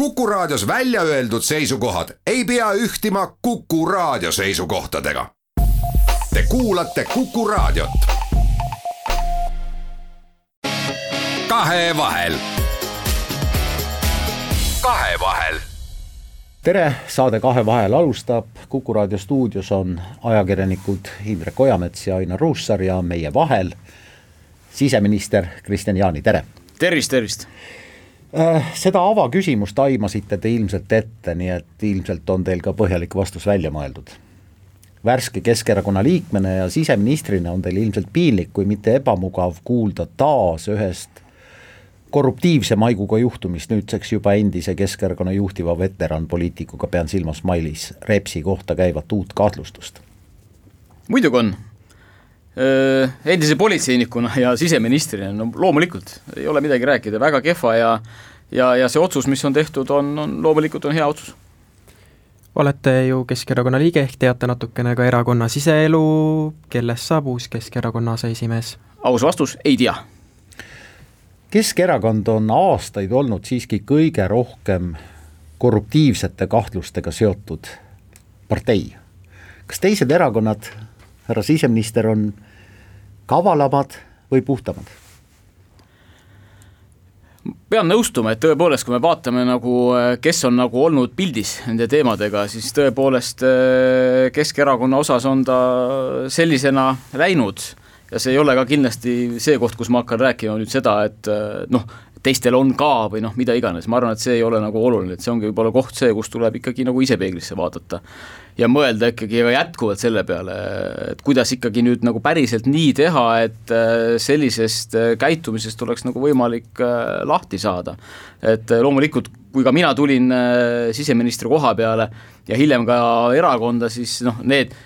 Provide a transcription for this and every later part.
Kuku Raadios välja öeldud seisukohad ei pea ühtima Kuku Raadio seisukohtadega. Te kuulate Kuku Raadiot. Kahevahel. Tere, saade Kahevahel alustab. Kuku Raadio stuudios on ajakirjanikud Indrek Ojamets ja Ainar Ruussaar ja meie vahel siseminister Kristian Jaani, tere! Tervist! Seda avaküsimust aimasite te ilmselt ette, nii et ilmselt on teil ka põhjalik vastus välja mõeldud. Värske Keskerakonna liikmena ja siseministrina on teil ilmselt piinlik, kui mitte ebamugav kuulda taas ühest korruptiivse maiguga juhtumist, nüüdseks juba endise Keskerakonna juhtiva veteranpoliitikuga, pean silmas Mailis Repsi kohta käivat uut kahtlustust. Muidugi on. Endise politseinikuna ja siseministrina, no loomulikult ei ole midagi rääkida, väga kehva ja see otsus, mis on tehtud, on loomulikult on hea otsus. Olete ju Keskerakonna liige, ehk teate natukene ka erakonna siseelu, kellest saab uus Keskerakonna aseesimees? Aus vastus, ei tea. Keskerakond on aastaid olnud siiski kõige rohkem korruptiivsete kahtlustega seotud partei. Kas teised erakonnad, härra siseminister, on kavalamad või puhtamad? Pean nõustuma, et tõepoolest, kui me vaatame kes on olnud pildis nende teemadega, siis tõepoolest Keskerakonna osas on ta sellisena läinud ja see ei ole ka kindlasti see koht, kus ma hakkan rääkima nüüd seda, et teistel on ka või mida iganes. Ma arvan, et see ei ole oluline, et see ongi võib-olla koht see, kus tuleb ikkagi ise peeglisse vaadata ja mõelda ikkagi jätkuvalt selle peale, et kuidas ikkagi nüüd päriselt nii teha, et sellisest käitumisest oleks võimalik lahti saada. Et loomulikult, kui ka mina tulin siseministri koha peale ja hiljem ka erakonda, siis need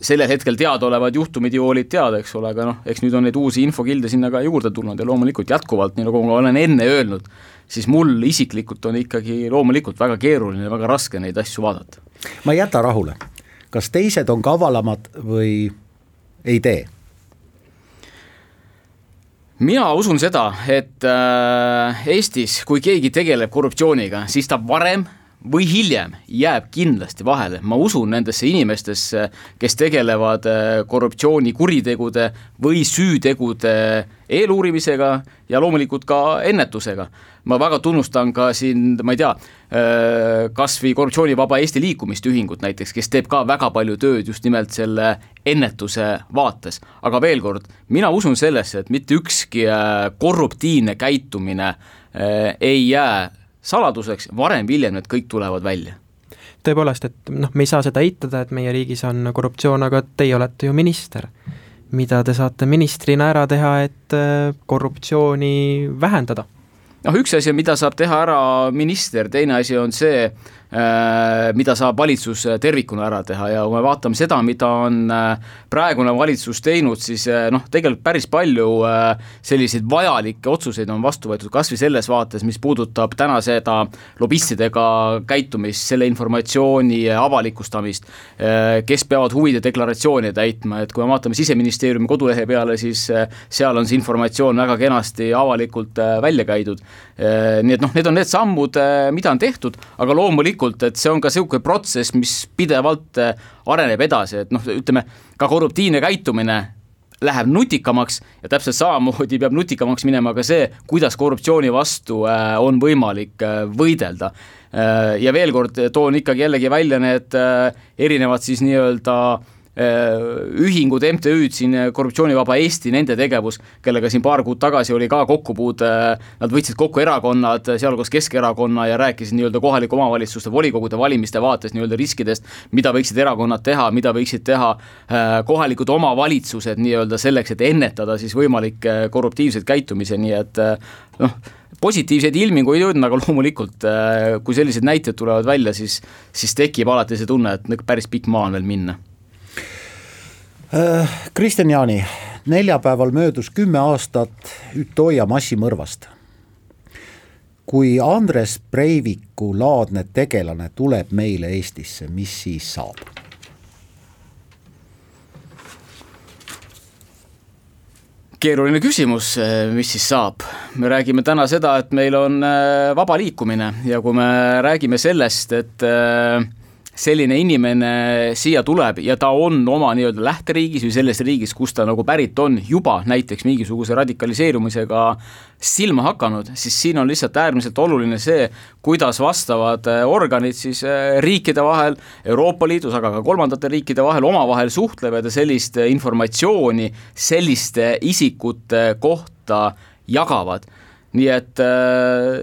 sellel hetkel teadaolevad juhtumid ju olid teada, eks ole, aga eks nüüd on neid uusi infokilde sinna ka juurde tulnud ja loomulikult jätkuvalt, nii nagu ma olen enne öelnud, siis mul isiklikult on ikkagi loomulikult väga keeruline ja väga raske neid asju vaadata. Ma ei jäta rahule. Kas teised on kavalamad või ei tee? Mina usun seda, et Eestis, kui keegi tegeleb korruptsiooniga, siis ta varem või hiljem jääb kindlasti vahele. Ma usun nendesse inimestesse, kes tegelevad korruptsiooni kuritegude või süütegude eeluurimisega ja loomulikult ka ennetusega. Ma väga tunnustan ka siin, ma ei tea, kas või korruptsioonivaba Eesti liikumisühingut näiteks, kes teeb ka väga palju tööd just nimelt selle ennetuse vaates. Aga veel kord, mina usun sellesse, et mitte ükski korruptiivne käitumine ei jää saladuseks, varem hiljem need kõik tulevad välja. Tõepoolest, et me ei saa seda eitada, et meie riigis on korruptsioon, aga teie olete ju minister. Mida te saate ministrina ära teha, et korruptsiooni vähendada? Üks asi, mida saab teha ära minister, teine asi on see, mida saab valitsus tervikuna ära teha ja kui me vaatame seda, mida on praegune valitsus teinud, siis tegelikult päris palju selliseid vajalikke otsuseid on vastu võetud, kas või selles vaates, mis puudutab täna seda lobistidega käitumist, selle informatsiooni avalikustamist, kes peavad huvide deklaratsiooni täitma, et kui me vaatame Siseministeeriumi kodulehe peale, siis seal on see informatsioon väga kenasti avalikult välja käidud. Nii et need on need sammud, mida on tehtud, aga loomulikult, et see on ka selline protsess, mis pidevalt areneb edasi, et ütleme, ka korruptiivne käitumine läheb nutikamaks ja täpselt samamoodi peab nutikamaks minema ka see, kuidas korruptsiooni vastu on võimalik võidelda. Ja veel kord toon ikkagi jällegi välja need erinevad siis nii-öelda ühingud, MTÜ-d siin Korruptsioonivaba Eesti, nende tegevus, kellega siin paar kuud tagasi oli ka kokkupuud, nad võtsid kokku erakonnad, sealhulgas Keskerakonna ja rääkisid nii-öelda kohaliku omavalitsuste volikogude valimiste vaates nii-öelda riskidest, mida võiksid erakonnad teha, mida võiksid teha kohalikud omavalitsused nii-öelda selleks, et ennetada siis võimalik korruptiivseid käitumise, nii et positiivseid ilmingu ei jõudnud, aga loomulikult, kui sellised näited tulevad välja, siis tekib alati see tunne, et päris pikk maa on veel minna. Kristian Jaani, neljapäeval möödus 10 aastat Utøya massimõrvast. Kui Andres Breiviku laadne tegelane tuleb meile Eestisse, mis siis saab? Keeruline küsimus, mis siis saab. Me räägime täna seda, et meil on vaba liikumine ja kui me räägime sellest, et selline inimene siia tuleb ja ta on oma nii-öelda lähteriigis või selles riigis, kus ta nagu pärit on juba näiteks mingisuguse radikaliseerumisega silma hakanud, siis siin on lihtsalt äärmiselt oluline see, kuidas vastavad organid siis riikide vahel, Euroopa Liidus, aga ka kolmandate riikide vahel omavahel suhtlevad ja sellist informatsiooni selliste isikute kohta jagavad. Nii et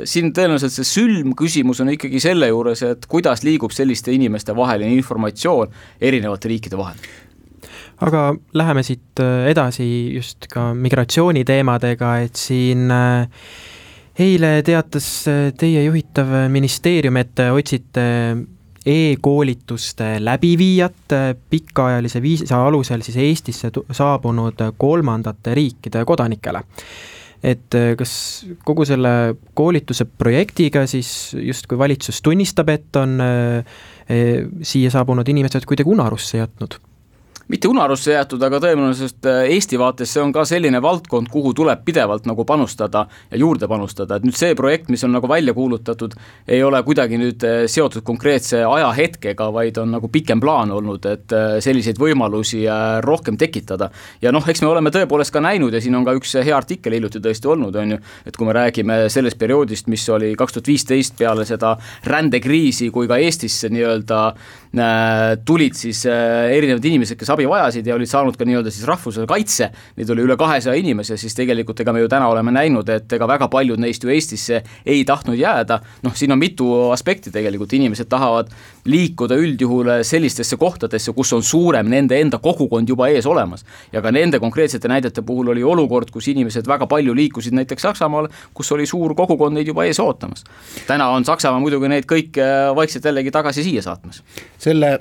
siin tõenäoliselt see sülmküsimus on ikkagi selle juures, et kuidas liigub selliste inimeste vaheline informatsioon erinevate riikide vahel. Aga läheme siit edasi just ka migratsiooniteemadega, et siin eile teatas teie juhitav ministeerium, et otsite e-koolituste läbiviijat pikaajalise viisa alusel siis Eestisse saabunud kolmandate riikide kodanikele. Et kas kogu selle koolituse projektiga siis justkui valitsus tunnistab, et on siia saabunud inimesed kuidagi unarusse jätnud? Mitte unarusse jäetud, aga tõenäoliselt Eesti vaates see on ka selline valdkond, kuhu tuleb pidevalt nagu panustada ja juurde panustada. Et nüüd see projekt, mis on nagu välja kuulutatud, ei ole kuidagi nüüd seotud konkreetse ajahetkega, vaid on nagu pikem plaan olnud, et selliseid võimalusi rohkem tekitada. Ja eks me oleme tõepoolest ka näinud ja siin on ka üks hea artikkel hiljuti tõesti olnud, on ju, et kui me räägime sellest perioodist, mis oli 2015 peale seda rändekriisi, kui ka Eestisse nii-öelda tulid siis erinevad inimesed, kes abi vajasid ja olid saanud ka nii-öelda siis rahvusvahelise kaitse, neid oli üle 200 inimese, siis tegelikult ega me ju täna oleme näinud, et ega väga paljud neist ju Eestisse ei tahtnud jääda. Siin on mitu aspekti tegelikult, inimesed tahavad liikuda üldjuhul sellistesse kohtadesse, kus on suurem nende enda kogukond juba ees olemas. Ja ka nende konkreetsete näidete puhul oli olukord, kus inimesed väga palju liikusid näiteks Saksamaal, kus oli suur kogukond neid juba ees ootamas. Täna on Saksamaa muidugi neid kõik vaikselt jällegi tagasi siia saatmas. Selle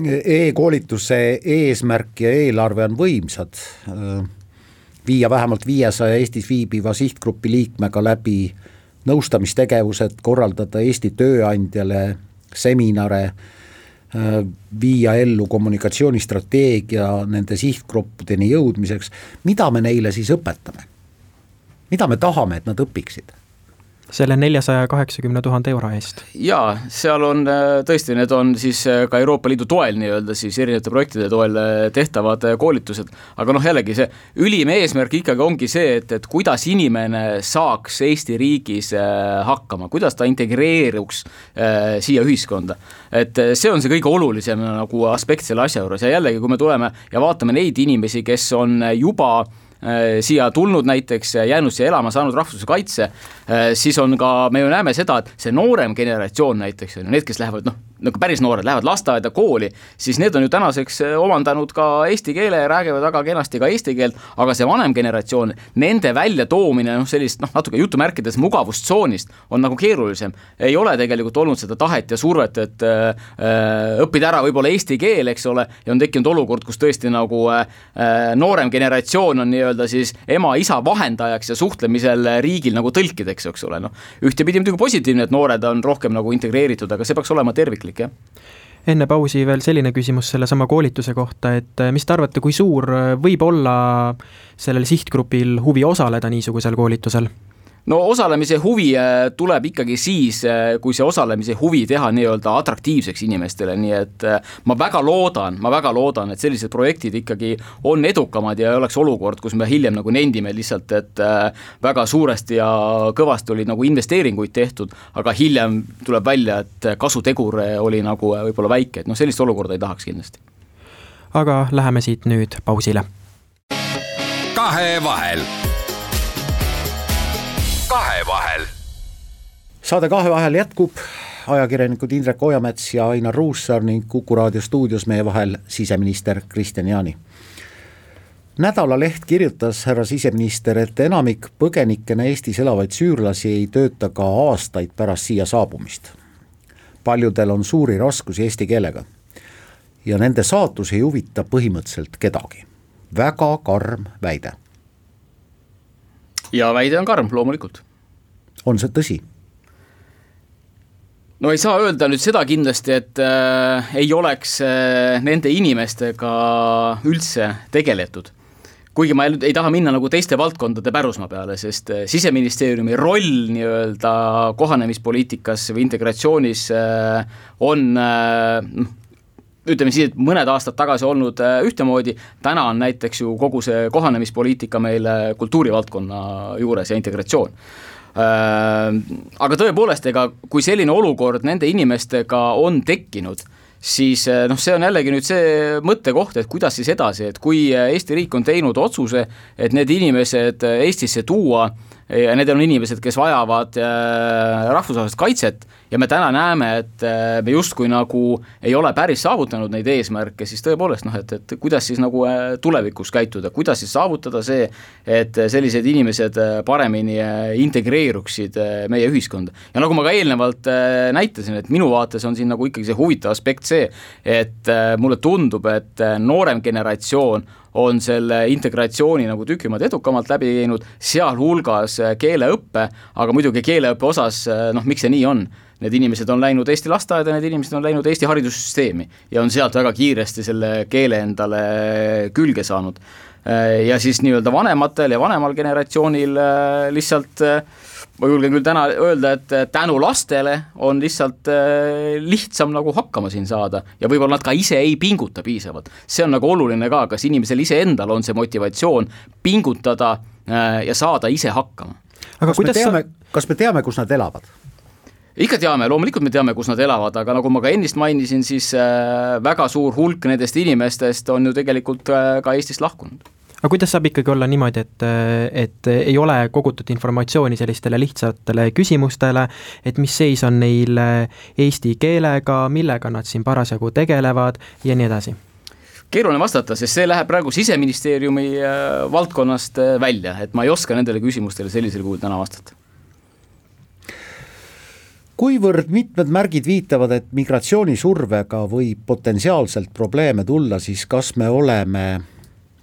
e-koolituse eesmärk ja eelarve on võimsad. Viia vähemalt 500 Eestis viibiva sihtgrupi liikmega läbi nõustamistegevused, korraldada Eesti tööandjale seminare, viia ellu kommunikatsioonistrateegia nende sihtgruppideni jõudmiseks. Mida me neile siis õpetame? Mida me tahame, et nad õpiksid? Selle 480 000 euro eest. Jaa, seal on tõesti, need on siis ka Euroopa Liidu toel nii-öelda siis erinevate projektide toel tehtavad koolitused, aga jällegi see ülim eesmärk ikkagi ongi see, et kuidas inimene saaks Eesti riigis hakkama, kuidas ta integreeruks siia ühiskonda. Et see on see kõige olulisem nagu aspekt selle asja juures ja jällegi, kui me tuleme ja vaatame neid inimesi, kes on juba siia tulnud näiteks, jäänud siia elama, saanud rahvusvahelise kaitse, siis on ka, me ju näeme seda, et see noorem generatsioon näiteks, need, kes lähevad, nagu päris noored, lähevad lasteaeda kooli, siis need on ju tänaseks omandanud ka eesti keele ja räägivad väga kenasti ka eesti keelt, aga see vanem generatsioon, nende välja toomine sellist natuke jutumärkides mugavustsoonist on nagu keerulisem. Ei ole tegelikult olnud seda tahet ja survet, et õppida ära võib-olla eesti keel, eks ole, ja on tekkinud olukord, kus tõesti nagu noorem generatsioon on nii-öelda siis ema-isa vahendajaks ja suhtlemisel riigil nagu tõlkideks, eks ole. Ühtepidi muidugi positiivne, et noored on rohkem nagu integreeritud, aga see peaks olema terviklik. Enne pausi veel selline küsimus selle sama koolituse kohta, et mis te arvate, kui suur võib olla sellel sihtgrupil huvi osaleda niisugusel koolitusel? Osalemise huvi tuleb ikkagi siis, kui see osalemise huvi teha nii-öelda atraktiivseks inimestele, nii et ma väga loodan, et sellised projektid ikkagi on edukamad ja ei oleks olukord, kus me hiljem nagu nendime lihtsalt, et väga suuresti ja kõvasti oli nagu investeeringuid tehtud, aga hiljem tuleb välja, et kasutegur oli nagu võib-olla väike, et sellist olukorda ei tahaks kindlasti. Aga läheme siit nüüd pausile. Kahevahel. Saade Kahevahel jätkub, ajakirjanikud Indrek Ojamets ja Ainar Ruussaar ning Kuku raadio stuudios meie vahel siseminister Kristian Jaani. Nädalaleht kirjutas härra siseminister, et enamik põgenikena Eestis elavaid süürlasi ei tööta ka aastaid pärast siia saabumist. Paljudel on suuri raskusi eesti keelega ja nende saatus ei huvita põhimõtteliselt kedagi. Väga karm väide. Ja väide on karm, loomulikult. On see tõsi? Ei saa öelda nüüd seda kindlasti, et ei oleks nende inimestega üldse tegeletud. kuigi ma ei taha minna nagu teiste valdkondade pärusmaa peale, sest Siseministeeriumi roll nii-öelda kohanemispoliitikas või integratsioonis on ütleme siis, et mõned aastad tagasi olnud ühtemoodi, täna on näiteks ju kogu see kohanemispoliitika meil kultuurivaldkonna juures ja integratsioon. Aga tõepoolest, kui selline olukord nende inimestega on tekkinud, siis see on jällegi nüüd see mõttekoht, et kuidas siis edasi, et kui Eesti riik on teinud otsuse, et need inimesed Eestisse tuua ja need on inimesed, kes vajavad rahvusvahelist kaitset ja me täna näeme, et me justkui nagu ei ole päris saavutanud neid eesmärke, siis tõepoolest, et kuidas siis nagu tulevikus käituda, kuidas siis saavutada see, et sellised inimesed paremini integreeruksid meie ühiskonda. Ja nagu ma ka eelnevalt näitasin, et minu vaates on siin nagu ikkagi see huvitav aspekt see, et mulle tundub, et noorem generatsioon on selle integratsiooni nagu tükimad edukamalt läbi teinud, sealhulgas keeleõppe, aga muidugi keeleõppe osas, miks see nii on? Need inimesed on läinud Eesti lasteaeda, need inimesed on läinud Eesti haridussüsteemi ja on sealt väga kiiresti selle keele endale külge saanud. Ja siis nii-öelda vanematel ja vanemal generatsioonil lihtsalt ma julgen küll täna öelda, et tänu lastele on lihtsalt lihtsam nagu hakkama siin saada ja võib-olla nad ka ise ei pinguta piisavalt. See on nagu oluline ka, kas inimesel ise endal on see motivatsioon pingutada ja saada ise hakkama. Aga kas me teame, kus nad elavad? Ikka teame, loomulikult me teame, kus nad elavad, aga nagu ma ka ennist mainisin, siis väga suur hulk nendest inimestest on ju tegelikult ka Eestist lahkunud. Aga kuidas saab ikkagi olla niimoodi, et ei ole kogutud informatsiooni sellistele lihtsatele küsimustele, et mis seis on neil eesti keelega, millega nad siin parasjagu tegelevad ja nii edasi? Keeruline vastata, sest see läheb praegu Siseministeeriumi valdkonnast välja, et ma ei oska nendele küsimustele sellisel kuul täna vastata. Kuivõrd mitmed märgid viitavad, et migratsioonisurvega võib potentsiaalselt probleeme tulla, siis kas me oleme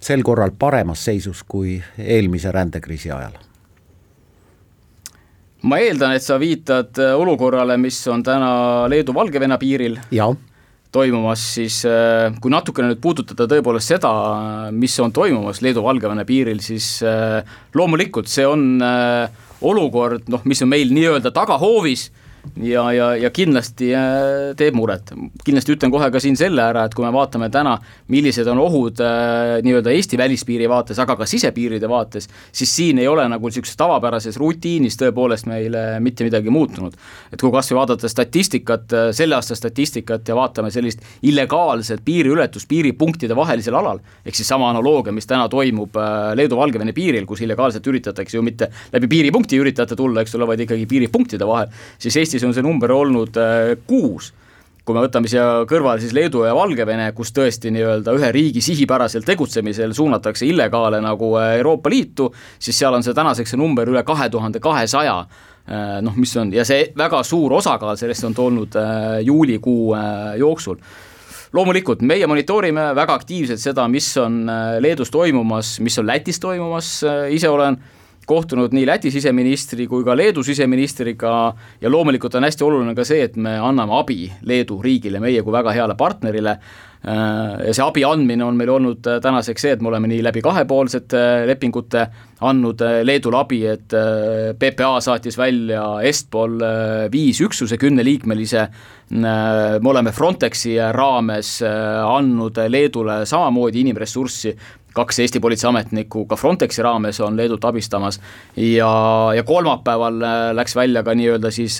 sel korral paremas seisus kui eelmise rändekriisi ajal? Ma eeldan, et sa viitad olukorrale, mis on täna Leedu-Valgevene piiril toimumas, siis kui natukene nüüd puudutada tõepoolest seda, mis on toimumas Leedu-Valgevene piiril, siis loomulikult see on olukord, mis on meil nii-öelda tagahoovis, ja kindlasti teeb muret. Kindlasti ütlen kohe ka siin selle ära, et kui me vaatame täna, millised on ohud nii-öelda Eesti välispiiri vaates, aga ka sisepiiride vaates, siis siin ei ole nagu sellises tavapärases rutiinis tõepoolest meile mitte midagi muutunud. Et kui kasvõi vaadata statistikat, selle aasta statistikat ja vaatame sellist illegaalset piiriületust piiripunktide vahelisel alal, ehk siis sama analoogia, mis täna toimub Leedu-Valgevene piiril, kus illegaalselt üritatakse ju mitte läbi piiripunkti üritada tulla, eks ole, vaid ikkagi piiripunktide vahel, siis Eestis on see number olnud 6. Kui me võtame siia kõrvale siis Leedu ja Valgevene, kus tõesti nii-öelda ühe riigi sihipäraselt tegutsemisel suunatakse illegaale nagu Euroopa Liitu, siis seal on see tänaseks number üle 2200, mis on, ja see väga suur osakaal sellest on tolnud juulikuu jooksul. Loomulikult, meie monitoorime väga aktiivselt seda, mis on Leedus toimumas, mis on Lätis toimumas, ise olen kohtunud nii Läti siseministri kui ka Leedu siseministriga ja loomulikult on hästi oluline ka see, et me anname abi Leedu riigile, meie kui väga heale partnerile ja see abi andmine on meil olnud tänaseks see, et me oleme nii läbi kahepoolsete lepingute andnud Leedule abi, et PPA saatis välja Estpol 5 üksuse 10-liikmelise, me oleme Frontexi raames andnud Leedule samamoodi inimressurssi, 2 Eesti politseiametnikku ka Frontexi raames on Leedut abistamas ja kolmapäeval läks välja ka nii-öelda siis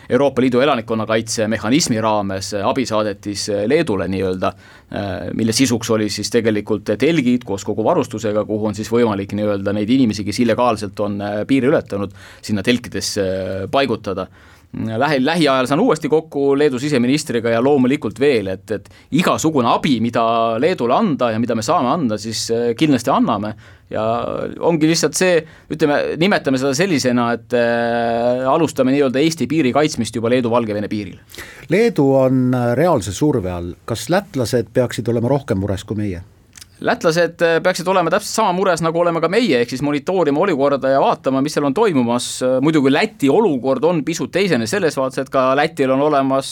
Euroopa Liidu elanikkonnakaitse mehhanismi raames abisaadetis Leedule nii-öelda, mille sisuks oli siis tegelikult telgid koos kogu varustusega, kuhu on siis võimalik nii-öelda neid inimesi, kes illegaalselt on piiri ületanud, sinna telkidesse paigutada. Lähiajal saan uuesti kokku Leedu siseministriga ja loomulikult veel, et igasugune abi, mida Leedule anda ja mida me saame anda, siis kindlasti anname ja ongi lihtsalt see, ütleme, nimetame seda sellisena, et alustame nii-öelda Eesti piiri kaitsmist juba Leedu-Valgevene piiril. Leedu on reaalse surve all, kas lätlased peaksid olema rohkem mures kui meie? lätlased peaksid olema täpselt sama mures, nagu oleme ka meie, ehk siis monitoorima olukorda ja vaatama, mis seal on toimumas. Muidugi Läti olukord on pisut teisene selles vaates, et ka Lätil on olemas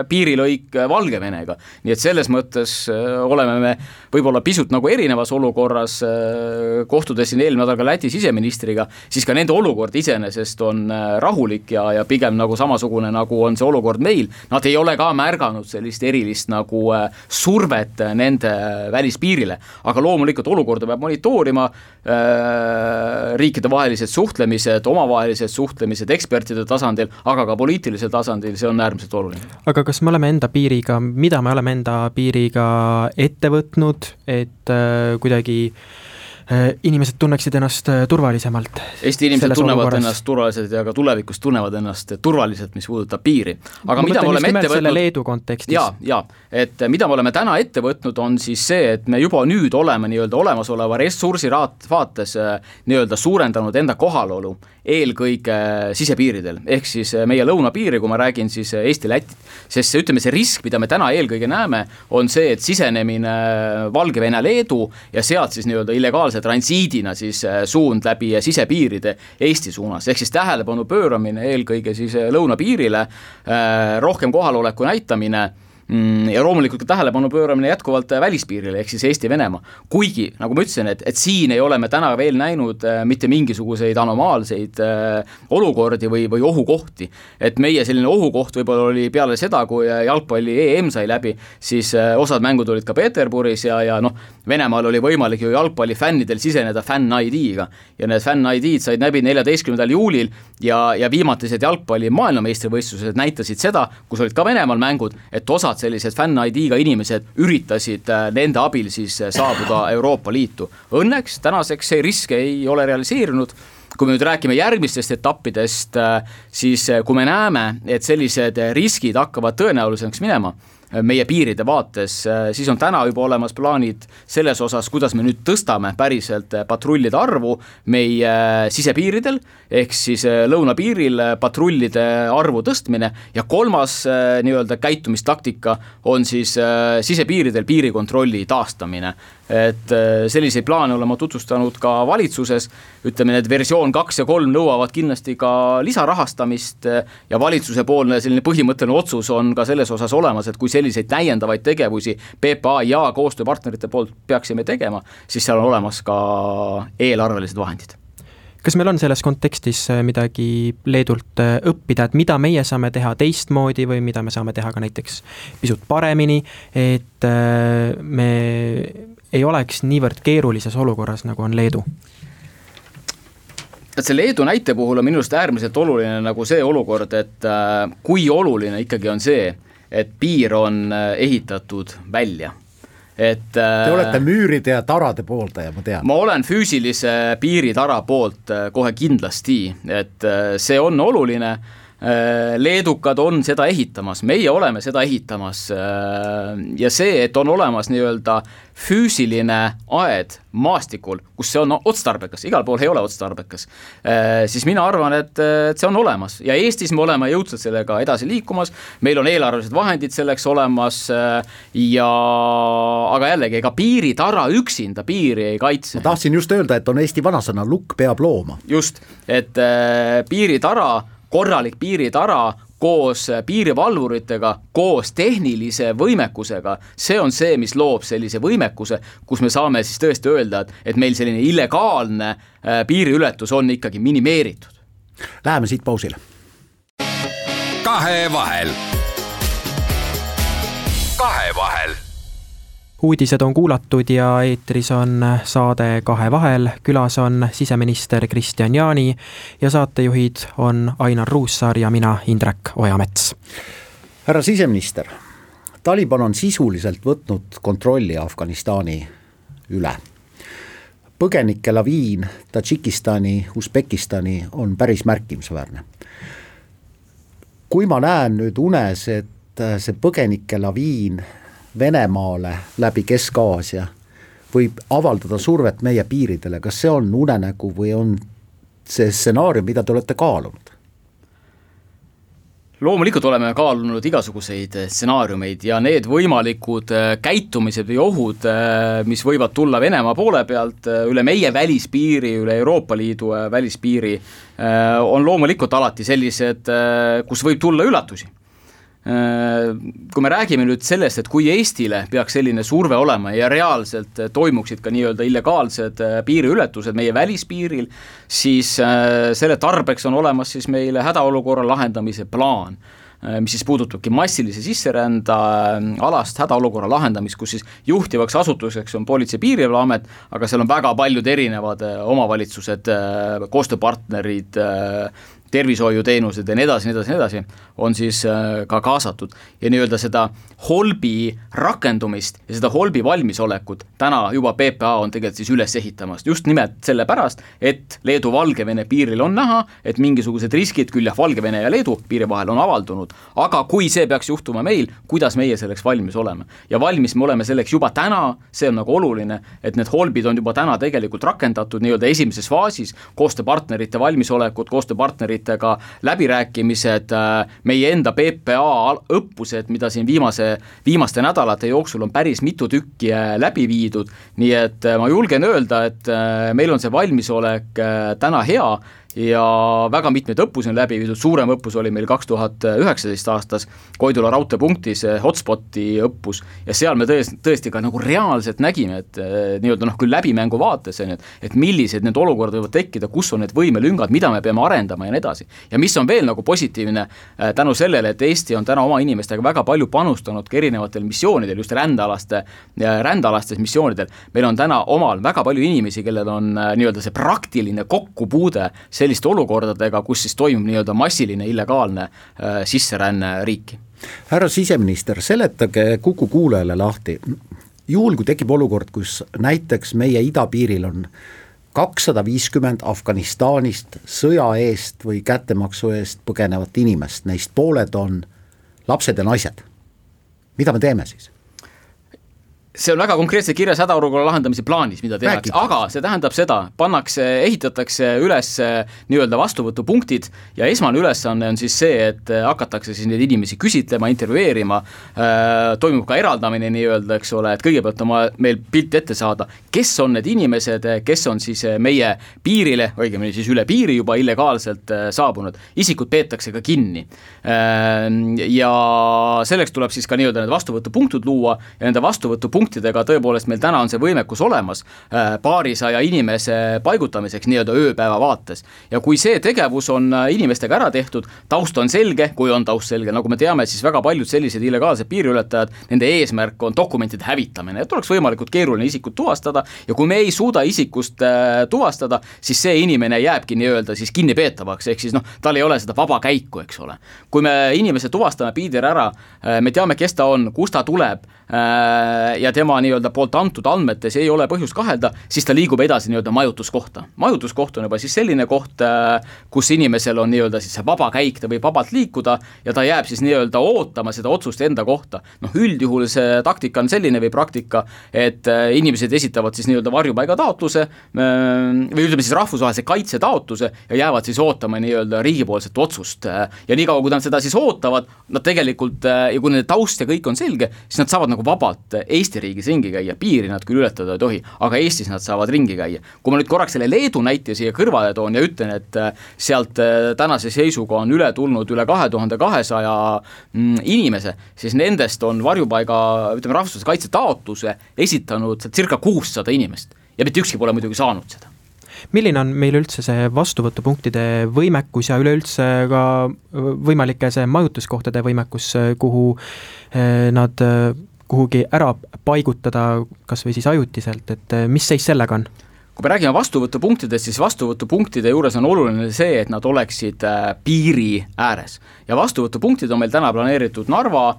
piirilõik Valgevenega. Nii et selles mõttes oleme me võib-olla pisut nagu erinevas olukorras, kohtudes siin eelmine nädal ka Läti siseministriga, siis ka nende olukord iseenesest on rahulik ja pigem nagu samasugune, nagu on see olukord meil. Nad ei ole ka märganud sellist erilist nagu survet nende välispiirile. Aga loomulikult olukorda peab monitoorima, riikide vahelised suhtlemised, omavahelised suhtlemised ekspertide tasandil, aga ka poliitilisel tasandil, see on äärmiselt oluline. Aga kas me oleme mida me oleme enda piiriga ette võtnud, et kuidagi inimesed tunneksid ennast turvalisemalt? Eesti inimesed tunnevad ennast turvaliselt ja ka tulevikus tunnevad ennast turvaliselt, mis puudutab piiri. Aga mida me oleme ette võtnud? Leedu kontekstis. Ja, et mida me oleme täna ette võtnud on siis see, et me juba nüüd oleme nii-öelda olemasoleva ressursi vaates nii-öelda suurendanud enda kohalolu eelkõige sisepiiridel, ehk siis meie lõunapiiri, kui ma räägin siis Eesti-Lätit, sest ütleme see risk, mida me täna eelkõige näeme, on see, et sisenemine Valgevene-Leedu ja sealt siis nii-öelda illegaalse transiidina siis suund läbi sisepiiride Eesti suunas, ehk siis tähelepanu pööramine eelkõige siis lõunapiirile, rohkem kohaloleku näitamine ja loomulikult ka tähelepanu pööramine jätkuvalt välispiirile, ehk siis Eesti-Venemaa. Kuigi, nagu ma ütlesin, et siin ei ole me täna veel näinud mitte mingisuguseid anomaalseid olukordi või ohukohti. Et meie selline ohukoht võib-olla oli peale seda, kui jalgpalli EM sai läbi, siis osad mängud olid ka Peterburis ja Venemaal oli võimalik ju jalgpalli fännidel siseneda fänn-ID-ga. Ja need fänn-ID-d said läbi 14. juulil ja viimatised jalgpalli maailmameistrivõistlused näitasid seda, kus olid ka Venemaal mängud, et osad sellised fänn-ID-ga inimesed üritasid nende abil siis saabuda Euroopa Liitu. Õnneks tänaseks see risk ei ole realiseerinud. Kui me nüüd räägime järgmistest etappidest, siis kui me näeme, et sellised riskid hakkavad tõenäolisemaks minema meie piiride vaates, siis on täna juba olemas plaanid selles osas, kuidas me nüüd tõstame päriselt patrullide arvu meie sisepiiridel, ehk siis lõunapiiril patrullide arvu tõstmine ja kolmas nii-öelda käitumistaktika on siis sisepiiridel piirikontrolli taastamine. Et selliseid plaane oleme tutvustanud ka valitsuses, ütleme, need versioon 2 ja 3 nõuavad kindlasti ka lisarahastamist ja valitsuse poolne selline põhimõtteline otsus on ka selles osas olemas, et kui selliseid täiendavaid tegevusi PPA ja koostööpartnerite poolt peaksime tegema, siis seal on olemas ka eelarvelised vahendid. Kas meil on selles kontekstis midagi Leedult õppida, et mida meie saame teha teistmoodi või mida me saame teha ka näiteks pisut paremini, et me ei oleks niivõrd keerulises olukorras, nagu on Leedu? Et see Leedu näite puhul on minust äärmiselt oluline nagu see olukord, et kui oluline ikkagi on see, et piir on ehitatud välja. Te olete müüride ja tarade pooldaja, ma tean. Ma olen füüsilise piiritara poolt kohe kindlasti, et see on oluline. Leedukad on seda ehitamas, meie oleme seda ehitamas ja see, et on olemas nii-öelda füüsiline aed maastikul, kus see on otstarbekas, igal pool ei ole otstarbekas, siis mina arvan, et see on olemas ja Eestis me oleme jõudsalt sellega edasi liikumas, meil on eelarvelised vahendid selleks olemas aga jällegi, ega piiritara üksinda piiri ei kaitse. Ma tahtsin just öelda, et on Eesti vanasõna, lukk peab looma. Just, et piiritara korralik piiritara koos piirivalvuritega, koos tehnilise võimekusega, see on see, mis loob sellise võimekuse, kus me saame siis tõesti öelda, et meil selline illegaalne piiriületus on ikkagi minimeeritud. Läheme siit pausile. Kahevahel. Uudised on kuulatud ja eetris on saade Kahevahel. Külas on siseminister Kristian Jaani ja saatejuhid on Ainar Ruussaar ja mina, Indrek Ojamets. Härra siseminister, Taliban on sisuliselt võtnud kontrolli Afganistani üle. Põgenike laviin Tadžikistani, Usbekistani on päris märkimisväärne. Kui ma näen nüüd unes, et see põgenike laviin Venemaale läbi Kesk-Aasia võib avaldada survet meie piiridele, kas see on unenägu või on see stsenaarium, mida te olete kaalunud? Loomulikult oleme kaalunud igasuguseid stsenaariumeid ja need võimalikud käitumised või ohud, mis võivad tulla Venemaa poole pealt üle meie välispiiri, üle Euroopa Liidu välispiiri, on loomulikult alati sellised, kus võib tulla üllatusi. Kui me räägime nüüd sellest, et kui Eestile peaks selline surve olema ja reaalselt toimuksid ka nii-öelda illegaalsed piiriületused meie välispiiril, siis selle tarbeks on olemas siis meile hädaolukorra lahendamise plaan, mis siis puudutabki massilise sisserända alast hädaolukorra lahendamist, kus siis juhtivaks asutuseks on Politsei- ja Piirivalveamet, aga seal on väga paljud erinevad omavalitsused, koostööpartnerid, tervishoiuteenused ja nii edasi, on siis ka kaasatud. Ja nii-öelda seda holbi rakendumist ja seda holbi valmisolekut täna juba PPA on tegelikult siis üles ehitamast. Just nimelt selle pärast, et Leedu-Valgevene piiril on näha, et mingisugused riskid küll jah Valgevene ja Leedu piiri vahel on avaldunud, aga kui see peaks juhtuma meil, kuidas meie selleks valmis oleme? Ja valmis me oleme selleks juba täna, see on nagu oluline, et need holbid on juba täna tegelikult rakendatud nii-öelda esimeses faasis, koostööpartnerite valmisolekut, koostööpartnerite ka läbirääkimised, meie enda PPA õppused, mida siin viimaste nädalate jooksul on päris mitu tükki läbi viidud, nii et ma julgen öelda, et meil on see valmisolek täna hea ja väga mitmeid õppusi on läbi viidud, suurem õppus oli meil 2019 aastas Koidula raudteepunktis hotspoti õppus ja seal me tõesti ka nagu reaalselt nägime, et nii-öelda küll läbimängu vaates, et millised need olukorrad võivad tekkida, kus on need võimelüngad, mida me peame arendama ja nii edasi. Ja mis on veel nagu positiivne tänu sellele, et Eesti on täna oma inimestega väga palju panustanud ka erinevatel missioonidel, just rändealastes missioonidel. Meil on täna omal väga palju inimesi, kellel on nii-öelda see praktiline kokkupuude selliste olukordadega, kus siis toimub nii-öelda massiline illegaalne sisseränne riiki. Härra siseminister, seletage Kuku kuulajale lahti. Juhul, kui tekib olukord, kus näiteks meie idapiiril on 250 Afganistanist sõja eest või kättemaksu eest põgenevat inimest, neist pooled on lapsed ja naised. Mida me teeme siis? See on väga konkreetselt kirjas hädaolukorra lahendamise plaanis, mida tehakse, aga see tähendab seda, ehitatakse üles nii-öelda vastuvõtupunktid ja esmane ülesanne on siis see, et hakatakse siis neid inimesi küsitlema, intervjueerima, toimub ka eraldamine nii-öelda, eks ole, et kõigepealt on meil pilt ette saada, kes on need inimesed, kes on siis meie piirile, õigemini siis üle piiri juba illegaalselt saabunud, isikud peetakse ka kinni. Ja selleks tuleb siis ka nii-öelda need vastuvõtupunktid luua ja nende vastuvõtupunktidega tõepoolest meil täna on see võimekus olemas paarisaja inimese paigutamiseks nii-öelda ööpäeva vaates. Ja kui see tegevus on inimestega ära tehtud, taust on selge, kui on taust selge, nagu me teame, siis väga paljud sellised illegaalsed piiriületajad, nende eesmärk on dokumentide hävitamine, et oleks võimalikult keeruline isikut tuvastada ja kui me ei suuda isikust tuvastada, siis see inimene jääbki nii-öelda siis kinnipeetavaks, ehk siis tal ei ole seda vaba käiku, eks ole. Kui me inimese tuvastame piidir ära, me teame, kes ta on, kus ta tuleb ja tema nii-öelda poolt antud andmetes ei ole põhjust kahelda, siis ta liigub edasi nii-öelda majutuskohta. Majutuskoht on juba siis selline koht, kus inimesel on nii-öelda siis see vaba käik, ta võib vabalt liikuda ja ta jääb siis nii-öelda ootama seda otsust enda kohta. Üldjuhul see taktika on selline või praktika, et inimesed esitavad siis nii-öelda varjupaiga taotluse või ütleme siis rahvusvahelise kaitse taotluse ja jäävad siis ootama nii-öelda riigipoolset otsust. Ja nii kaua, kui nad seda siis ootavad, nad tegelikult, ja kui nende taust ja kõik on selge, siis nad saavad nagu vabalt Eesti riigis ringi käia, piiri nad küll ületada ei tohi, aga Eestis nad saavad ringi käia. Kui ma nüüd korraks selle Leedu näite siia kõrvale toon ja ütlen, et sealt tänase seisuga on üle tulnud üle 2200 inimese, siis nendest on varjupaiga, ütleme rahvusvahelise kaitse taotluse esitanud circa 600 inimest ja mitte ükski pole muidugi saanud seda. Milline on meil üldse see vastuvõtupunktide võimekus ja üleüldse ka võimalike see majutuskohtade võimekus, kuhu nad kuhugi ära paigutada, kas või siis ajutiselt, et mis seis sellega on? Kui me räägime vastuvõtupunktidest, siis vastuvõtupunktide juures on oluline see, et nad oleksid piiri ääres. Ja vastuvõtupunktid on meil täna planeeritud Narva,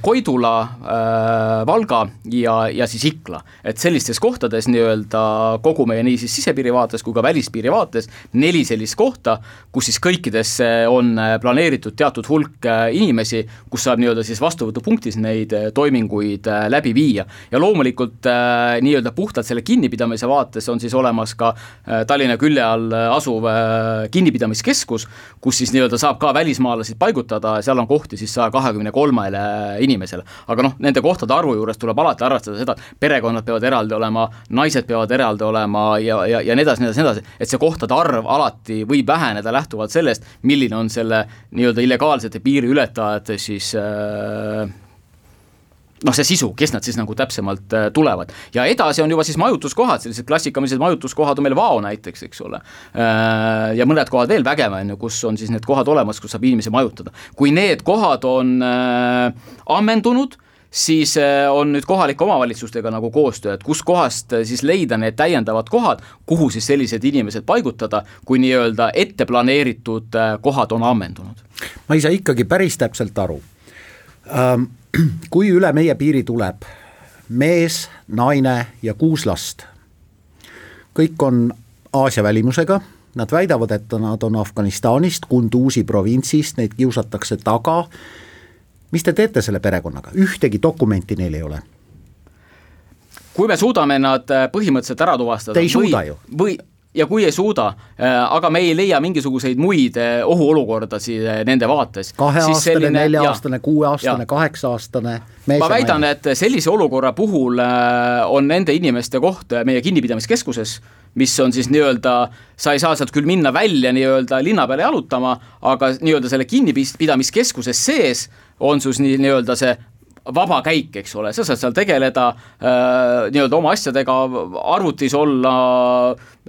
Koidula, Valga ja siis Ikla. Et sellistes kohtades nii-öelda kogu meie nii siis sisepiiri vaates kui ka välispiiri vaates 4 sellist kohta, kus siis kõikidesse on planeeritud teatud hulk inimesi, kus saab nii-öelda siis vastuvõtupunktis neid toiminguid läbi viia. Ja loomulikult nii-öelda puhtalt selle kinnipidamise vaates on siis olemas ka Tallinna külje all asuv kinnipidamiskeskus, kus siis nii-öelda saab ka välismaalasid paigutada ja seal on kohti siis 123 inimesele. Aga nende kohtade arvu juures tuleb alati arvestada seda, et perekonnad peavad eraldi olema, naised peavad eraldi olema ja nii edasi, et see kohtade arv alati võib väheneda lähtuvalt sellest, milline on selle nii-öelda illegaalsete piiriületajate siis see sisu, kes nad siis nagu täpsemalt tulevad. Ja edasi on juba siis majutuskohad, sellised klassikamised majutuskohad on meil Vao näiteks, eks ole. Ja mõned kohad veel Vägeva, kus on siis need kohad olemas, kus saab inimesi majutada. Kui need kohad on ammendunud, siis on nüüd kohalike omavalitsustega nagu koostöö, et kus kohast siis leida need täiendavad kohad, kuhu siis sellised inimesed paigutada, kui nii-öelda ette planeeritud kohad on ammendunud. Ma ei saa ikkagi päris täpselt aru. Kui üle meie piiri tuleb mees, naine ja 6 last, kõik on Aasia välimusega, nad väidavad, et nad on Afganistanist, Kunduzi provintsist, neid kiusatakse taga. Mis te teete selle perekonnaga? Ühtegi dokumenti neil ei ole. Kui me suudame nad põhimõtteliselt ära tuvastada, te ei suuda ju. Ja kui ei suuda, aga me ei leia mingisuguseid muid ohuolukordasid nende vaates. 2-aastane, 4-aastane, 6-aastane, 8-aastane. Ma väidan, et sellise olukorra puhul on nende inimeste koht meie kinnipidamiskeskuses, mis on siis nii-öelda, sa ei saa sealt küll minna välja nii-öelda linna peale jalutama, aga nii-öelda selle kinnipidamiskeskuses sees on sus nii-öelda see vaba käik, eks ole, sa saad seal tegeleda nii-öelda oma asjadega, arvutis olla,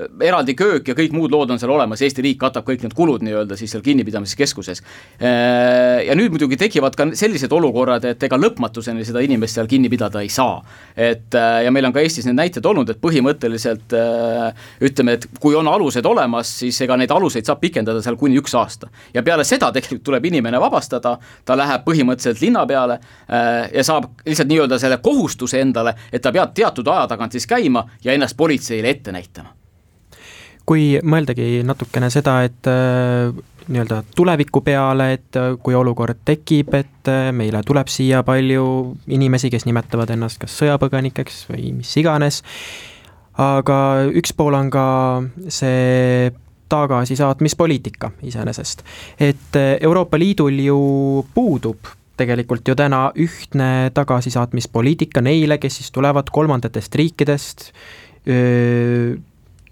eraldi köök ja kõik muud lood on seal olemas, Eesti riik katab kõik need kulud nii-öelda siis seal kinnipidamiskeskuses. Ja nüüd muidugi tekivad ka sellised olukorrad, et ega lõpmatuseni seda inimest seal kinni pidada ei saa. Ja meil on ka Eestis need näited olnud, et põhimõtteliselt ütleme, et kui on alused olemas, siis ega neid aluseid saab pikendada seal kuni 1 aasta. Ja peale seda tegelikult tuleb inimene vabastada, ta läheb põhimõtteliselt linna peale ja saab lihtsalt nii-öelda selle kohustuse endale, et ta peab teatud aja tagant siis käima ja ennast politseile ette näitama. Kui mõeldagi natukene seda, et nii-öelda tuleviku peale, et kui olukord tekib, et meile tuleb siia palju inimesi, kes nimetavad ennast kas sõjapõgenikeks või mis iganes, aga üks pool on ka see tagasisaatmispoliitika iseenesest. Et Euroopa Liidul ju puudub tegelikult ju täna ühtne tagasisaatmispoliitika neile, kes siis tulevad 3. riikidest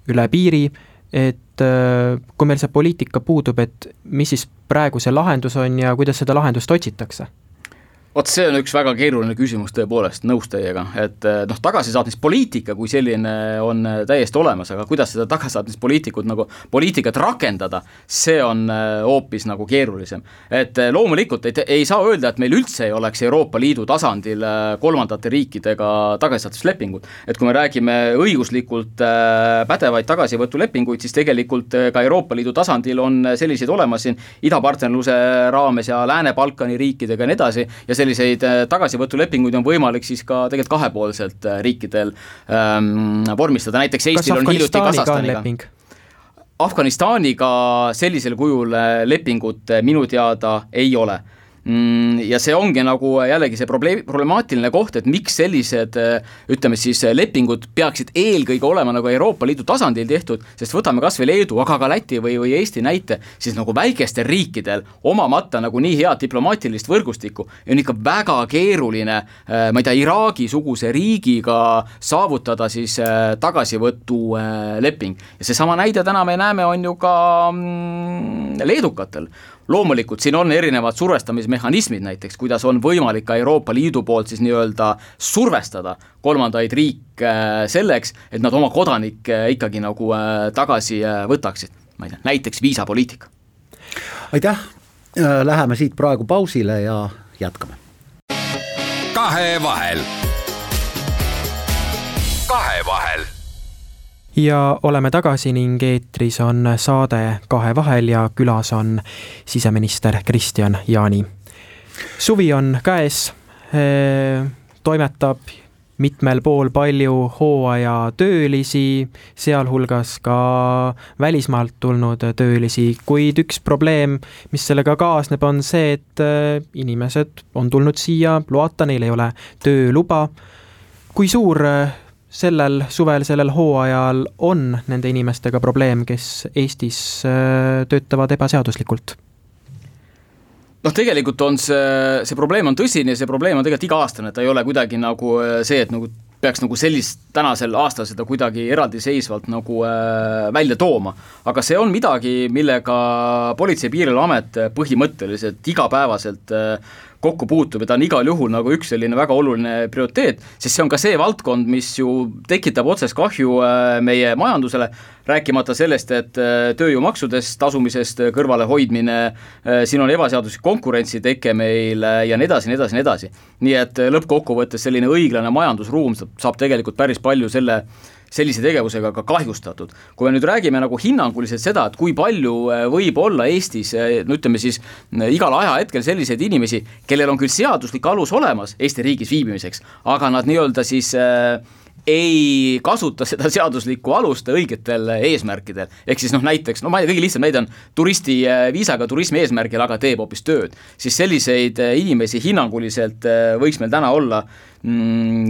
üle piiri, et kui meil see poliitika puudub, et mis siis praegu see lahendus on ja kuidas seda lahendust otsitakse? See on üks väga keeruline küsimus tõepoolest, nõus teiega, et tagasisaatmispoliitika kui selline on täiesti olemas, aga kuidas seda tagasisaatmispoliitikat rakendada, see on hoopis nagu keerulisem. Et loomulikult ei saa öelda, et meil üldse ei oleks Euroopa Liidu tasandil 3. riikidega tagasisaatmislepingud. Et kui me räägime õiguslikult pädevaid tagasivõtulepinguid, siis tegelikult ka Euroopa Liidu tasandil on selliseid olemas siin idapartnerluse raames ja Lääne-Balkani riikidega ja nii edasi, ja selliseid tagasivõtulepinguid on võimalik siis ka tegelikult kahepoolselt riikidel vormistada. Näiteks Eestil on hiljuti Kasahstaniga. Afganistaniga sellisel kujul lepingut minu teada ei ole. Ja see ongi nagu jällegi see problemaatiline koht, et miks sellised ütleme siis lepingud peaksid eelkõige olema nagu Euroopa Liidu tasandil tehtud, sest võtame kas või Leedu, aga ka Läti või Eesti näite, siis nagu väikestel riikidel omamata nagu nii head diplomaatilist võrgustikku on ikka väga keeruline, ma ei tea, Iraagi-suguse riigiga saavutada siis tagasivõtu leping. Ja see sama näide täna me näeme on ju ka leedukatel. Loomulikult siin on erinevad survestamismehhanismid näiteks, kuidas on võimalik ka Euroopa Liidu poolt siis nii-öelda survestada 3. riike selleks, et nad oma kodanikke ikkagi nagu tagasi võtaksid. Ma ei tea, näiteks viisapoliitika. Aitäh, läheme siit praegu pausile ja jätkame. Kahevahel. Ja oleme tagasi ning eetris on saade Kahevahel ja külas on siseminister Kristian Jaani. Suvi on käes, toimetab mitmel pool palju hooaja töölisi, sealhulgas ka välismaalt tulnud töölisi, kuid üks probleem, mis sellega kaasneb, on see, et inimesed on tulnud siia loata, neil ei ole tööluba. Kui suur sellel suvel, sellel hooajal on nende inimestega probleem, kes Eestis töötavad ebaseaduslikult? Tegelikult on see probleem on tõsine ja see probleem on tegelikult iga-aastane, ta ei ole kuidagi nagu see, et nagu peaks nagu sellist tänasel aastal seda kuidagi eraldiseisvalt nagu välja tooma. Aga see on midagi, millega Politsei- ja Piirivalveamet põhimõtteliselt igapäevaselt kokku puutub ja ta on igal juhul nagu üks selline väga oluline prioriteet, sest see on ka see valdkond, mis ju tekitab otsest kahju meie majandusele, rääkimata sellest, et tööjõumaksudest tasumisest kõrvale hoidmine, siin on ebaseaduslik konkurentsi teke meil ja nii edasi, nii edasi, nii edasi. Nii et lõppkokkuvõttes selline õiglane majandusruum saab tegelikult päris palju sellise tegevusega ka kahjustatud. Kui me nüüd räägime nagu hinnanguliselt seda, et kui palju võib olla Eestis, no ütleme siis igal ajahetkel selliseid inimesi, kellel on küll seaduslik alus olemas Eesti riigis viibimiseks, aga nad nii-öelda siis ei kasuta seda seaduslikku alust õigetel eesmärkidel. Ehk siis näiteks, ma ei tea, kõige lihtsam näide on turisti viisaga turismi eesmärgil, aga teeb hoopis tööd. Siis selliseid inimesi hinnanguliselt võiks meil täna olla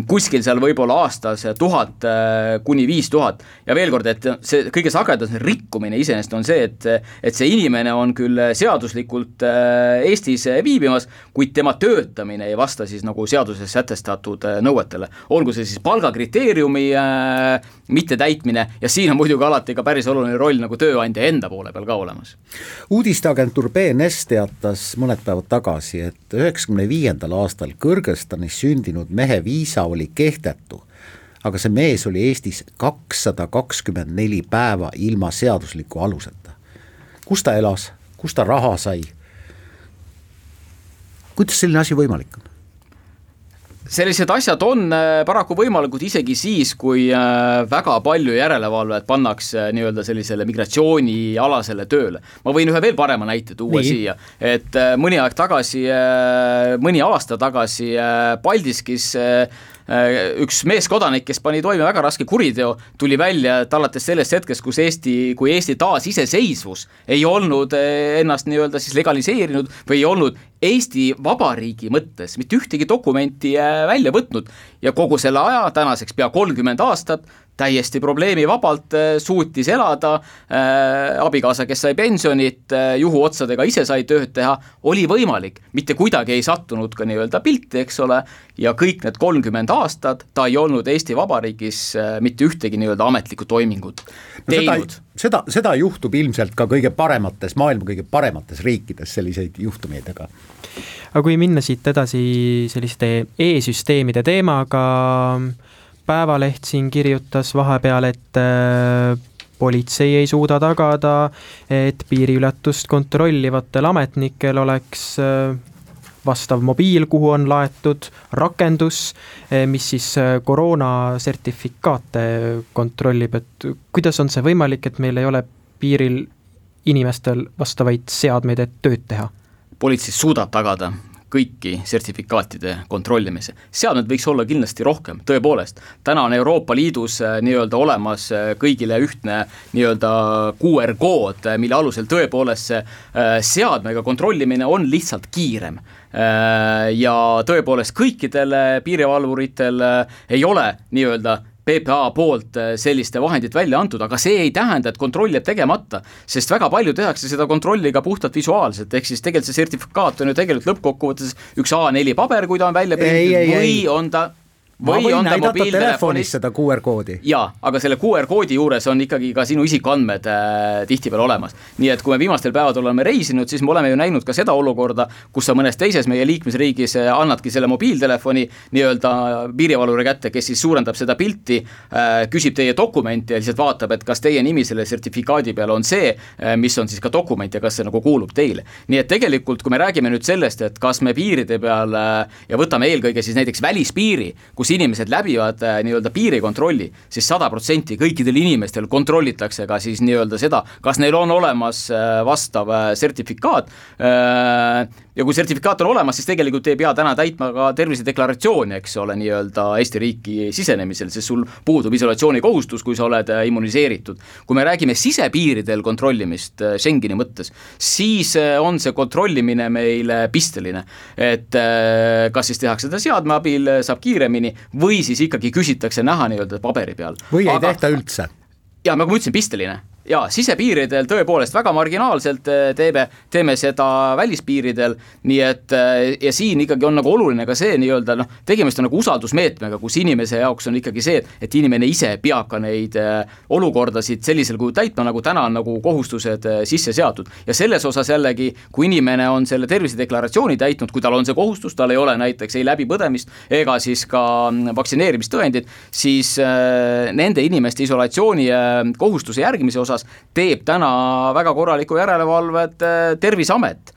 kuskil seal võib-olla aastas 1000 kuni 5000 ja veel kord, et see kõige sagedam rikkumine iseenesest on see, et see inimene on küll seaduslikult Eestis viibimas, kuid tema töötamine ei vasta siis nagu seaduses sätestatud nõuetele. Olgu see siis palgakriteeriumi mitte täitmine ja siin on muidugi alati ka päris oluline roll nagu tööandja enda poole peal ka olemas. Uudisteagentuur BNS teatas mõned päevad tagasi, et 1995. aastal Kõrgõzstanis sündinud mehe viisa oli kehtetu, aga see mees oli Eestis 224 päeva ilma seadusliku aluseta. Kus ta elas? Kus ta raha sai? Kuidas selline asi võimalik on? Sellised asjad on paraku võimalikud isegi siis, kui väga palju järelevalvet pannakse nii-öelda sellisele migratsioonialasele tööle. Ma võin ühe veel parema näite tuua siia, et mõni aasta tagasi Paldiskis üks meeskodanik, kes pani toime väga raske kuriteo, tuli välja, et alates sellest hetkest, kui Eesti taas iseseisvus ei olnud ennast nii-öelda siis legaliseerinud või ei olnud Eesti Vabariigi mõttes mitte ühtegi dokumenti välja võtnud ja kogu selle aja, tänaseks pea 30 aastat, täiesti probleemivabalt suutis elada, abikaasa, kes sai pensionit, juhuotsadega ise sai tööd teha, oli võimalik, mitte kuidagi ei sattunud ka nii-öelda pilti, eks ole, ja kõik need 30 aastat ta ei olnud Eesti Vabariigis mitte ühtegi nii-öelda ametlikku toimingut teinud. Seda juhtub ilmselt ka maailma kõige paremates riikides selliseid juhtumeidega. Aga kui minna siit edasi selliste e-süsteemide teemaga, Päevaleht siin kirjutas vahepeal, et politsei ei suuda tagada, et piiriületust kontrollivatel ametnikel oleks vastav mobiil, kuhu on laetud rakendus, mis siis koroonasertifikaate kontrollib, et kuidas on see võimalik, et meil ei ole piiril inimestel vastavaid seadmeid, et tööd teha? Politsei suudab tagada kõiki sertifikaatide kontrollimise. Seadmed võiks olla kindlasti rohkem, tõepoolest. Täna on Euroopa Liidus nii-öelda olemas kõigile ühtne nii-öelda QR-kood, mille alusel tõepoolest seadmega kontrollimine on lihtsalt kiirem. Ja tõepoolest kõikidel piirivalvuritel ei ole nii-öelda PPA poolt selliste vahendid välja antud, aga see ei tähenda, et kontroll jääb tegemata, sest väga palju tehakse seda kontrolli ka puhtalt visuaalselt, ehk siis tegelikult see sertifikaat on ju tegelikult lõppkokkuvõttes üks A4 paber, kui ta on välja prinditud, või on ta ma võin näidata telefonis seda QR-koodi. Jaa, aga selle QR-koodi juures on ikkagi ka sinu isikandmed tihtipeal olemas. Nii et kui me viimastel päevadel oleme reisinud, siis me oleme ju näinud ka seda olukorda, kus sa mõnes teises meie liikmesriigis annadki selle mobiiltelefoni nii-öelda piirivalvuri kätte, kes siis suurendab seda pilti, küsib teie dokumenti ja lihtsalt vaatab, et kas teie nimi selle sertifikaadi peal on see, mis on siis ka dokument ja kas see nagu kuulub teile. Nii et tegelikult, kui me räägime nüüd sellest, et kas me piiride peal ja võtame eelkõige siis näiteks välispiiri, kus inimesed läbivad nii-öelda piirikontrolli, siis 100% kõikidel inimestel kontrollitakse ka siis nii-öelda seda, kas neil on olemas vastav sertifikaat. ja kui sertifikaat on olemas, siis tegelikult ei pea täna täitma ka tervisedeklaratsiooni, eks ole, nii-öelda Eesti riiki sisenemisel, sest sul puudub isolatsiooni kohustus, kui sa oled immuniseeritud. Kui me räägime sisepiiridel kontrollimist Schengeni mõttes, siis on see kontrollimine meil pisteline, et kas siis tehakse seda seadme abil, saab kiiremini või siis ikkagi küsitakse näha nii-öelda paberi peal. Või ei tehta üldse? Ja nagu ma ütlesin, pisteline. Ja sisepiiridel tõepoolest väga marginaalselt teeme seda välispiiridel, nii et ja siin ikkagi on nagu oluline ka see nii-öelda, tegemist on nagu usaldusmeetmega, kus inimese jaoks on ikkagi see, et inimene ise peab ka neid olukordasid sellisel kui täitma, nagu täna on nagu kohustused sisse seatud. Ja selles osas jällegi, kui inimene on selle tervisedeklaratsiooni täitnud, kui tal on see kohustus, tal ei ole näiteks ei läbipõdemist ega siis ka vaktsineerimistõendid, siis nende inimeste isolatsiooni kohustuse järgimise osas teeb täna väga korraliku järelevalvet Terviseamet.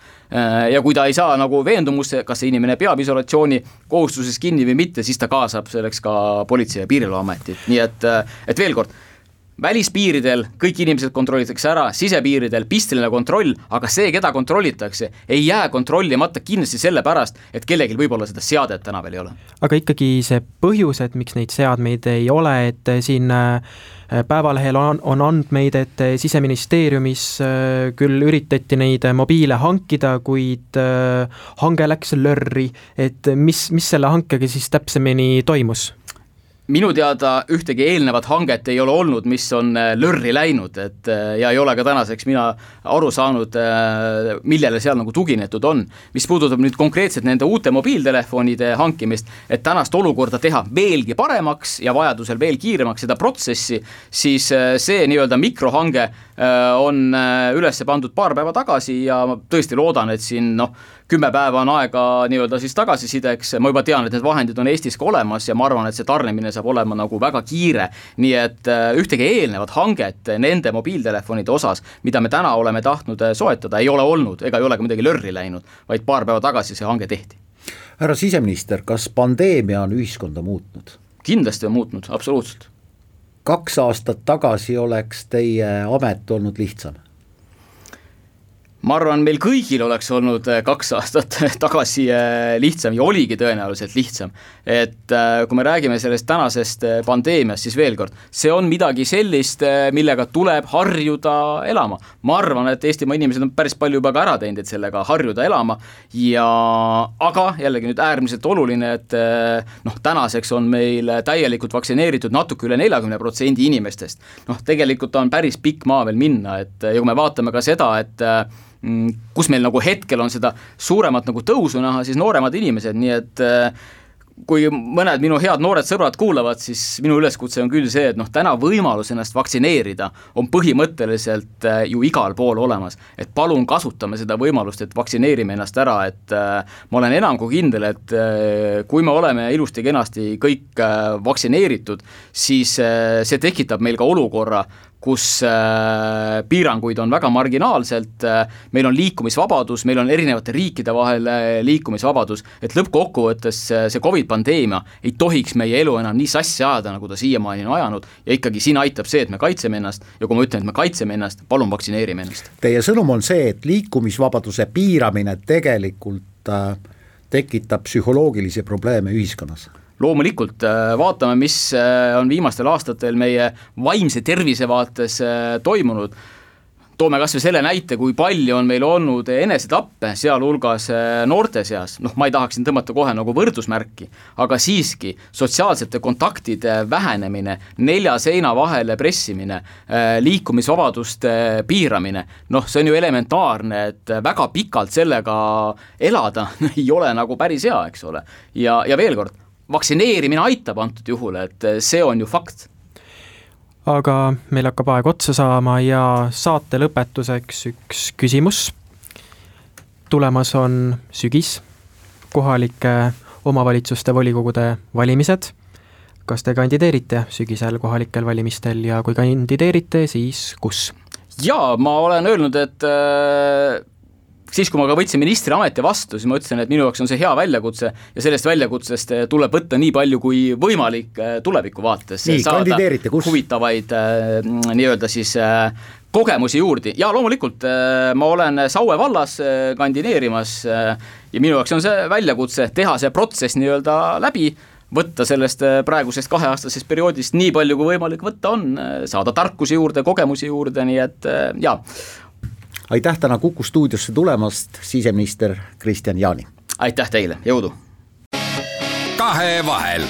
Ja kui ta ei saa nagu veendumusse, kas see inimene peab isolatsiooni kohustuses kinni või mitte, siis ta kaasab selleks ka Politsei- ja Piirivalveametit. Nii et veel kord, välispiiridel kõik inimesed kontrollitakse ära, sisepiiridel pisteline kontroll, aga see, keda kontrollitakse, ei jää kontrollimata kindlasti selle pärast, et kellelgi võib-olla seda seadet täna veel ei ole. Aga ikkagi see põhjus, et miks neid seadmeid ei ole, et siin Päevalehel on andmeid, et Siseministeeriumis küll üritati neid mobiile hankida, kuid hange läks lörri, et mis selle hankega siis täpsemini toimus? Minu teada ühtegi eelnevat hanget ei ole olnud, mis on lörri läinud, ja ei ole ka tänaseks mina aru saanud, millele seal nagu tuginetud on. Mis puudutab nüüd konkreetselt nende uute mobiiltelefonide hankimist, et tänast olukorda teha veelgi paremaks ja vajadusel veel kiiremaks seda protsessi, siis see nii-öelda mikrohange on üles pandud paar päeva tagasi ja ma tõesti loodan, et siin 10 päeva on aega nii-öelda siis tagasisideks, ma juba tean, et need vahendid on Eestis ka olemas ja ma arvan, et see tarnemine saab olema nagu väga kiire, nii et ühtegi eelnevat hanget nende mobiiltelefonide osas, mida me täna oleme tahtnud soetada, ei ole olnud ega ei ole ka midagi lörri läinud, vaid paar päeva tagasi see hange tehti. Härra siseminister, kas pandeemia on ühiskonda muutnud? Kindlasti on muutnud, absoluutselt. 2 aastat tagasi oleks teie amet olnud lihtsam? Ma arvan, meil kõigil oleks olnud 2 aastat tagasi lihtsam ja oligi tõenäoliselt lihtsam. Et kui me räägime sellest tänasest pandeemiast, siis veel kord, see on midagi sellist, millega tuleb harjuda elama. Ma arvan, et Eestimaa inimesed on päris palju juba ka ära teinud, et sellega harjuda elama. Aga jällegi nüüd äärmiselt oluline, et tänaseks on meil täielikult vaktsineeritud natuke üle 40% inimestest. Tegelikult on päris pikk maa veel minna, et ja kui me vaatame ka seda, et kus meil nagu hetkel on seda suuremat nagu tõusu näha, siis nooremad inimesed, nii et kui mõned minu head noored sõbrad kuulavad, siis minu üleskutse on küll see, et täna võimalus ennast vaktsineerida on põhimõtteliselt ju igal pool olemas, et palun kasutame seda võimalust, et vaktsineerime ennast ära, et ma olen enam kui kindel, et kui me oleme ilusti kenasti kõik vaktsineeritud, siis see tekitab meil ka olukorra, kus piiranguid on väga marginaalselt, meil on liikumisvabadus, meil on erinevate riikide vahel liikumisvabadus, et lõppkokkuvõttes see COVID-pandeemia ei tohiks meie elu enam nii sassi ajada, nagu ta siiamaani on ajanud ja ikkagi siin aitab see, et me kaitseme ennast ja kui ma ütlen, et me kaitseme ennast, palun vaktsineerime ennast. Teie sõnum on see, et liikumisvabaduse piiramine tegelikult tekitab psühholoogilisi probleeme ühiskonnas? Loomulikult vaatame, mis on viimastel aastatel meie vaimse tervise vaates toimunud. Toome kas või selle näite, kui palju on meil olnud enesetappe, sealhulgas noorte seas. Ma ei tahaks siin tõmmata kohe nagu võrdusmärki, aga siiski sotsiaalsete kontaktide vähenemine, 4 seina vahele pressimine, liikumisvabaduste piiramine, see on ju elementaarne, et väga pikalt sellega elada ei ole nagu päris hea, eks ole. Ja veel kord, vaktsineerimine aitab antud juhul, et see on ju fakt. Aga meil hakkab aeg otsa saama ja saate lõpetuseks üks küsimus. Tulemas on sügis, kohalike omavalitsuste volikogude valimised. Kas te kandideerite sügisel kohalikel valimistel ja kui kandideerite, siis kus? Jaa, ma olen öelnud, et siis, kui ma ka võtsin ministri ameti vastu, siis ma ütlesin, et minu jaoks on see hea väljakutse ja sellest väljakutsest tuleb võtta nii palju kui võimalik tuleviku vaates. Nii, kandideerite, kus? Huvitavaid nii-öelda siis kogemusi juurde ja loomulikult ma olen Saue vallas kandideerimas ja minu jaoks on see väljakutse teha see protsess nii-öelda läbi, võtta sellest praegusest 2-aastasest perioodist nii palju kui võimalik võtta on, saada tarkusi juurde, kogemusi juurde, nii et jaa. Aitäh täna Kuku stuudiosse tulemast, siseminister Kristian Jaani. Aitäh teile, jõudu! Kahevahel.